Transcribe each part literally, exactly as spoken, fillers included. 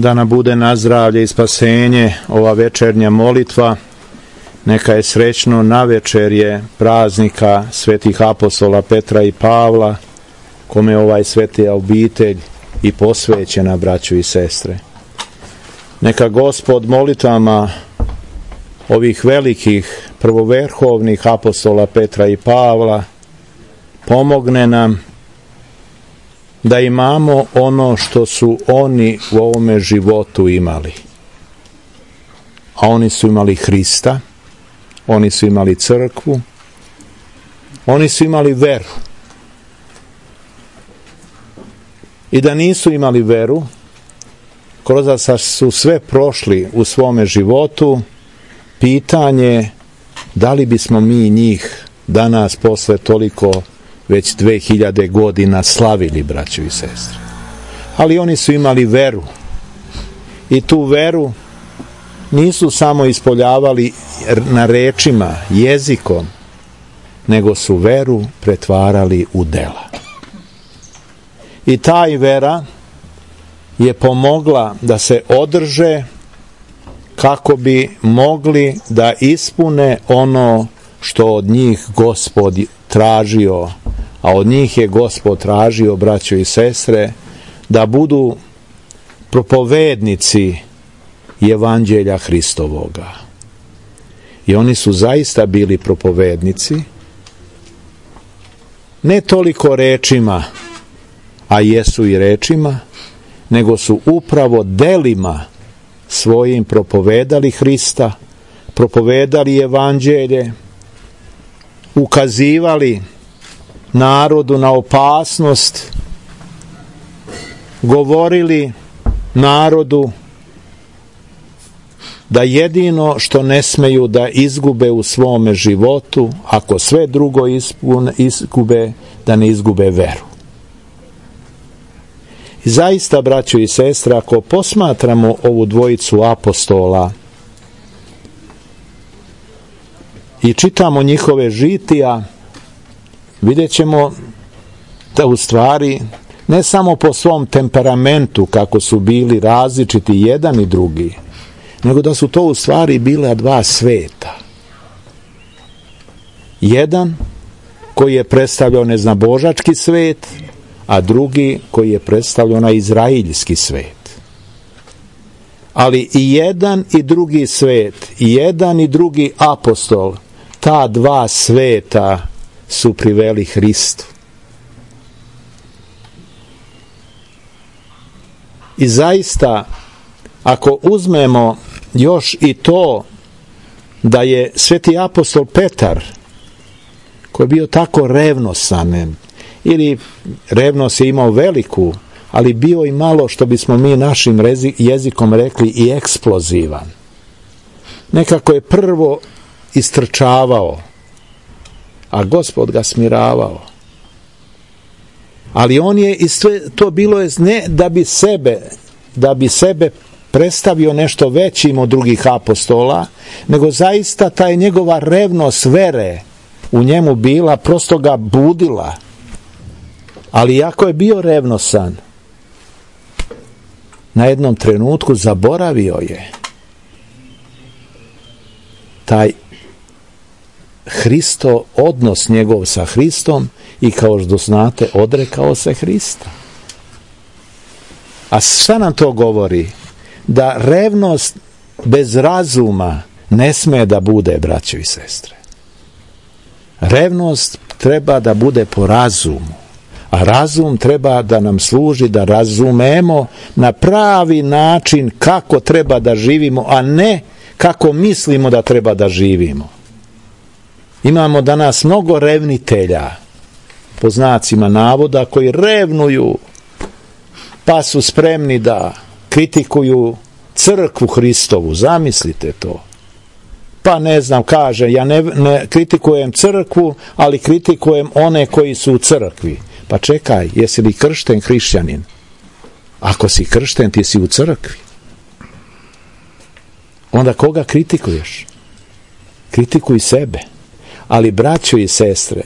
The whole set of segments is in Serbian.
da nam bude na zdravlje i spasenje ova večernja molitva. Neka je srećno navečerje praznika svetih apostola Petra i Pavla, kome je ovaj svetija obitelj i posvećena, braćo i sestre. Neka Gospod molitvama ovih velikih prvoverhovnih apostola Petra i Pavla pomogne nam da imamo ono što su oni u ovome životu imali. A oni su imali Hrista, oni su imali crkvu, oni su imali veru. I da nisu imali veru, kroz da su sve prošli u svome životu, pitanje da li bismo mi njih danas posle toliko već dve hiljade godina slavili, braćo i sestre. Ali oni su imali veru. I tu veru nisu samo ispoljavali na rečima, jezikom, nego su veru pretvarali u dela. I taj vera je pomogla da se održe kako bi mogli da ispune ono što od njih Gospod tražio, a od njih je Gospod tražio, braćo i sestre, da budu propovednici Evanđelja Hristovoga. I oni su zaista bili propovednici, ne toliko rečima, a jesu i rečima, nego su upravo delima svojim propovedali Hrista, propovedali Evanđelje, ukazivali narodu na opasnost, govorili narodu da jedino što ne smeju da izgube u svome životu, ako sve drugo izgube, da ne izgube veru. I zaista, braćo i sestre, ako posmatramo ovu dvojicu apostola i čitamo njihove žitija, vidjet ćemo da u stvari ne samo po svom temperamentu kako su bili različiti jedan i drugi, nego da su to u stvari bila dva sveta. Jedan koji je predstavljao neznabožački svet, a drugi koji je predstavljao na izraeljski svet. Ali i jedan i drugi svet, i jedan i drugi apostol, ta dva sveta su priveli Hristu. I zaista, ako uzmemo još i to da je sveti apostol Petar, koji je bio tako revnosan, ili revnost je imao veliku, ali bio i malo, što bismo mi našim jezikom rekli, i eksplozivan. Nekako je prvo istrčavao, a Gospod ga smiravao. Ali on je, i sve to bilo je ne da bi sebe, da bi sebe predstavio nešto većim od drugih apostola, nego zaista taj njegova revnost vere u njemu bila, prosto ga budila. Ali iako je bio revnosan, na jednom trenutku zaboravio je taj Hristo, odnos njegov sa Hristom, i kao što znate, odrekao se Hrista. A šta nam to govori? Da revnost bez razuma ne sme da bude, braćo i sestre. Revnost treba da bude po razumu, a razum treba da nam služi da razumemo na pravi način kako treba da živimo, a ne kako mislimo da treba da živimo. Imamo danas mnogo revnitelja, po znacima navoda, koji revnuju, pa su spremni da kritikuju crkvu Hristovu. Zamislite to. Pa ne znam, kaže, ja ne, ne kritikujem crkvu, ali kritikujem one koji su u crkvi. Pa čekaj, jesi li kršten hrišćanin? Ako si kršten, ti si u crkvi. Onda koga kritikuješ? Kritikuj sebe. Ali, braćo i sestre,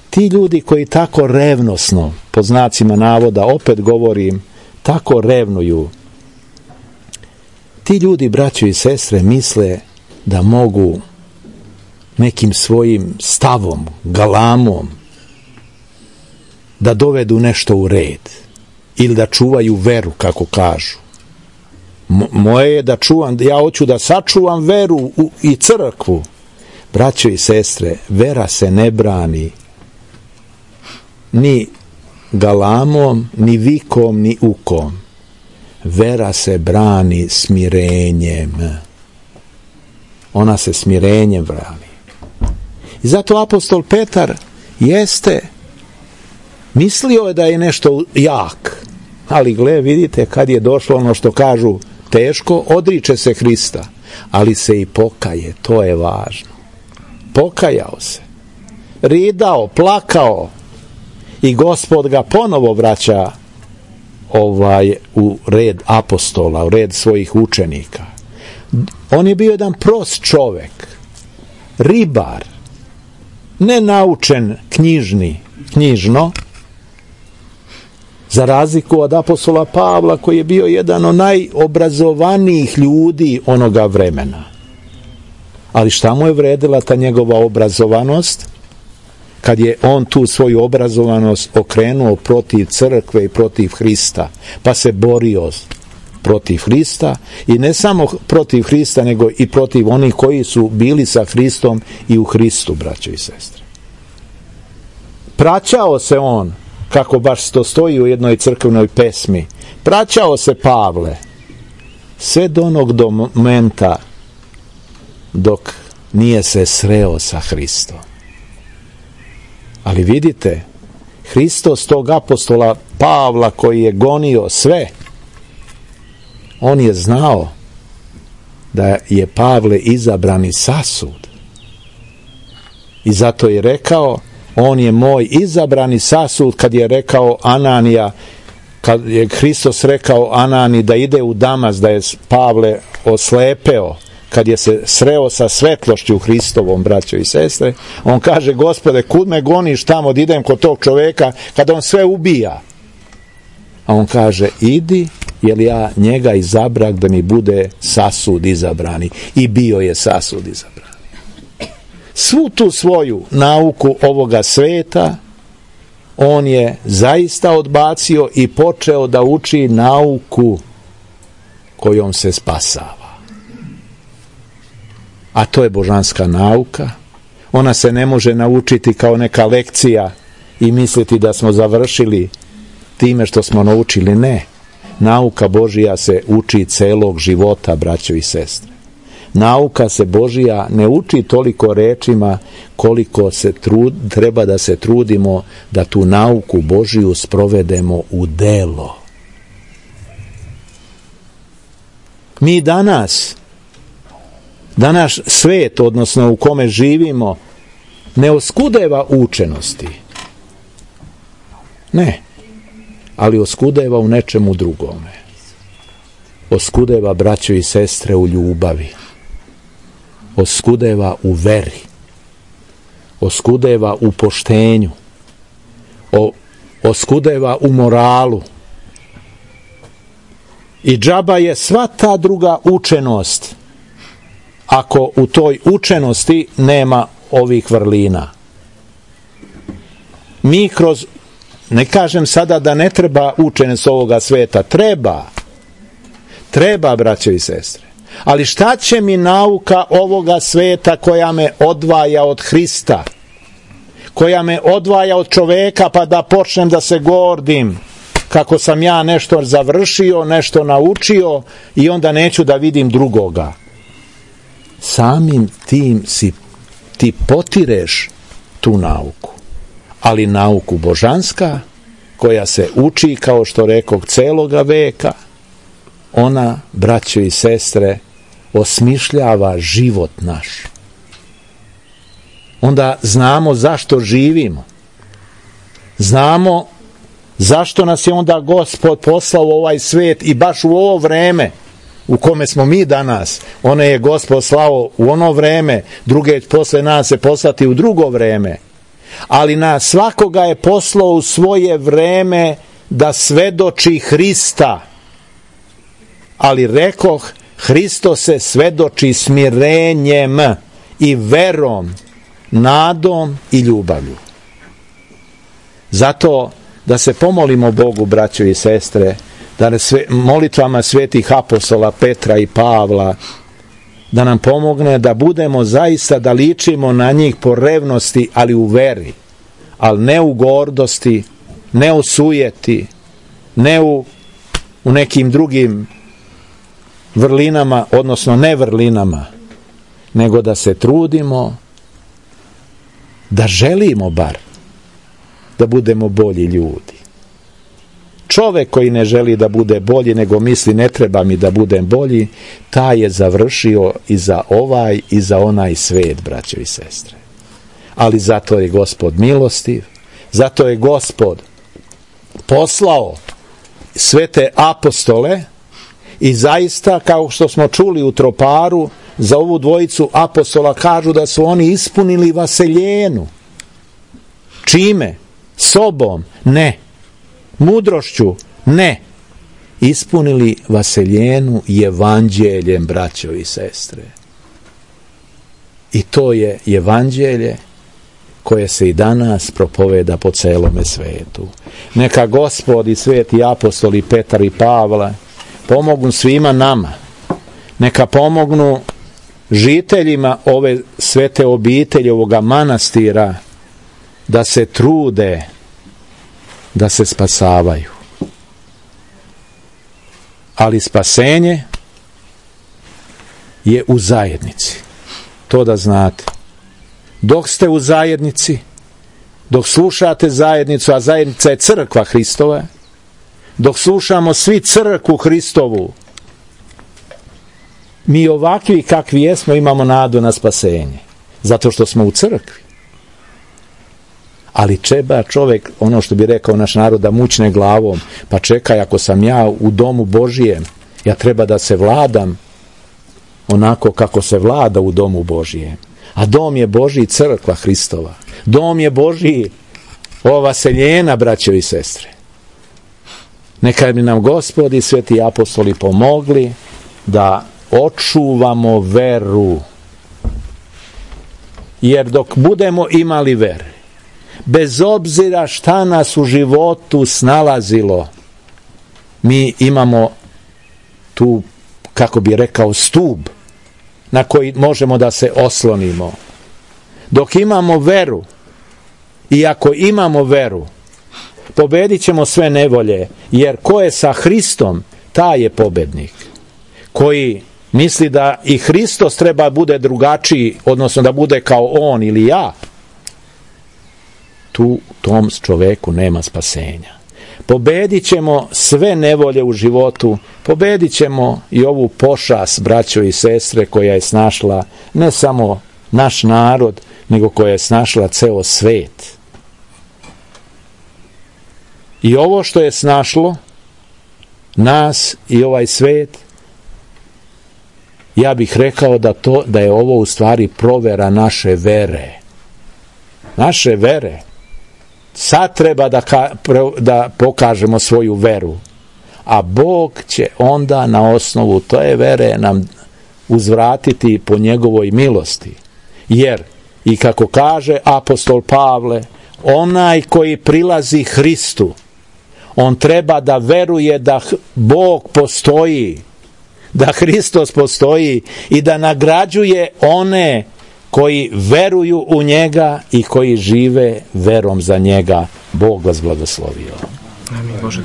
ti ljudi koji tako revnosno, po znacima navoda, opet govorim, tako revnuju. Ti ljudi, braćo i sestre, misle da mogu nekim svojim stavom, galamom da dovedu nešto u red ili da čuvaju veru, kako kažu. Mo- moje je da čuvam, ja hoću da sačuvam veru u, i crkvu. Braćo i sestre, vera se ne brani ni galamom, ni vikom, ni ukom. Vera se brani smirenjem. Ona se smirenjem brani. I zato apostol Petar jeste mislio je da je nešto jak, ali gle, vidite, kad je došlo ono što kažu teško, odriče se Hrista, ali se i pokaje, to je važno. Pokajao se, ridao, plakao i Gospod ga ponovo vraća ovaj u red apostola, u red svojih učenika. On je bio jedan prost čovek, ribar, nenaučen knjižni, knjižno, za razliku od apostola Pavla, koji je bio jedan od najobrazovanijih ljudi onoga vremena. Ali šta mu je vredila ta njegova obrazovanost? Kad je on tu svoju obrazovanost okrenuo protiv crkve i protiv Hrista, pa se borio protiv Hrista, i ne samo protiv Hrista, nego i protiv onih koji su bili sa Hristom i u Hristu, braćo i sestre. Praćao se on, kako baš to stoji u jednoj crkvenoj pesmi, praćao se Pavle sve do onog do momenta dok nije se sreo sa Hristom. Ali vidite, Hristos tog apostola Pavla koji je gonio sve, on je znao da je Pavle izabrani sasud. I zato je rekao, on je moj izabrani sasud, kad je rekao Ananija, kad je Hristos rekao Anani da ide u Damas, da je Pavle oslepeo, kad je se sreo sa svetlošću Hristovom, braćo i sestre, on kaže, Gospode, kud me goniš tamo da idem kod tog čoveka kad on sve ubija? A on kaže, idi, jer ja njega izabrak da mi bude sasud izabrani. I bio je sasud izabrani. Svu tu svoju nauku ovoga sveta on je zaista odbacio i počeo da uči nauku kojom se spasava. A to je božanska nauka. Ona se ne može naučiti kao neka lekcija i misliti da smo završili time što smo naučili. Ne. Nauka Božija se uči celog života, braćo i sestre. Nauka se Božija ne uči toliko rečima koliko se trud, treba da se trudimo da tu nauku Božiju sprovedemo u delo. Mi danas, danas svet, odnosno u kome živimo, ne oskudeva učenosti. Ne. Ali oskudeva u nečemu drugome. Oskudeva, braćo i sestre, u ljubavi. Oskudeva u veri. Oskudeva u poštenju. O, oskudeva u moralu. I džaba je sva ta druga učenost ako u toj učenosti nema ovih vrlina. Mi kroz, ne kažem sada da ne treba učenost ovoga sveta, treba. Treba, braćo i sestre. Ali šta će mi nauka ovoga sveta koja me odvaja od Hrista, koja me odvaja od čoveka, pa da počnem da se gordim kako sam ja nešto završio, nešto naučio i onda neću da vidim drugoga. Samim tim si, ti potireš tu nauku. Ali nauku božanska, koja se uči, kao što rekog, celoga veka, ona, braćo i sestre, osmišljava život naš. Onda znamo zašto živimo. Znamo zašto nas je onda Gospod poslao u ovaj svet i baš u ovo vreme u kome smo mi danas. One je Gospod slao u ono vreme, druge posle nas se poslati u drugo vreme. Ali na svakoga je poslao u svoje vreme da svedoči Hrista, ali rekoh, Hristos se svedoči smirenjem i verom, nadom i ljubavlju. Zato da se pomolimo Bogu, braćo i sestre, da sve, molitvama svetih apostola Petra i Pavla, da nam pomogne da budemo zaista, da ličimo na njih po revnosti, ali u veri, ali ne u gordosti, ne u sujeti, ne u, u nekim drugim vrlinama, odnosno ne vrlinama, nego da se trudimo, da želimo bar da budemo bolji ljudi. Čovek koji ne želi da bude bolji, nego misli ne treba mi da budem bolji, taj je završio i za ovaj i za onaj svet, braćo i sestre. Ali zato je Gospod milostiv, zato je Gospod poslao svete apostole i zaista, kao što smo čuli u Troparu, za ovu dvojicu apostola kažu da su oni ispunili vaseljenu. Čime? Sobom? Ne. Mudrošću? Ne. Ispunili vaseljenu evanđeljem, braćo i sestre. I to je evanđelje koje se i danas propoveda po celome svetu. Neka Gospod i sveti apostoli Petar i Pavla pomognu svima nama. Neka pomognu žiteljima ove svete obitelji, ovoga manastira, da se trude da se spasavaju. Ali spasenje je u zajednici. To da znate. Dok ste u zajednici, dok slušate zajednicu, a zajednica je crkva Hristova, dok slušamo svi crkvu Hristovu, mi ovakvi kakvi jesmo imamo nadu na spasenje. Zato što smo u crkvi. Ali treba čovjek, ono što bi rekao naš narod, da mućne glavom, pa čekaj, ako sam ja u domu Božijem, ja treba da se vladam onako kako se vlada u domu Božijem. A dom je Božji, crkva Hristova. Dom je Božji, ova vaseljena, braćo i sestre. Neka bi nam Gospod i sveti apostoli pomogli da očuvamo veru. Jer dok budemo imali vere, bez obzira šta nas u životu snalazilo, mi imamo tu, kako bi rekao, stub na koji možemo da se oslonimo. Dok imamo veru, i ako imamo veru, pobedit ćemo sve nevolje, jer ko je sa Hristom, taj je pobednik. Koji misli da i Hristos treba bude drugačiji, odnosno da bude kao on ili ja, tu tom čoveku nema spasenja. Pobedit ćemo sve nevolje u životu, pobedit ćemo i ovu pošast, braćo i sestre, koja je snašla ne samo naš narod, nego koja je snašla ceo svet. I ovo što je snašlo nas i ovaj svet, ja bih rekao da, to, da je ovo u stvari provera naše vere. Naše vere. Sad treba da, ka, da pokažemo svoju veru. A Bog će onda na osnovu te vere nam uzvratiti po njegovoj milosti. Jer, i kako kaže apostol Pavle, onaj koji prilazi Hristu, on treba da veruje da Bog postoji, da Hristos postoji i da nagrađuje one koji veruju u njega i koji žive verom za njega. Bog vas blagoslovio. Amin. Bože.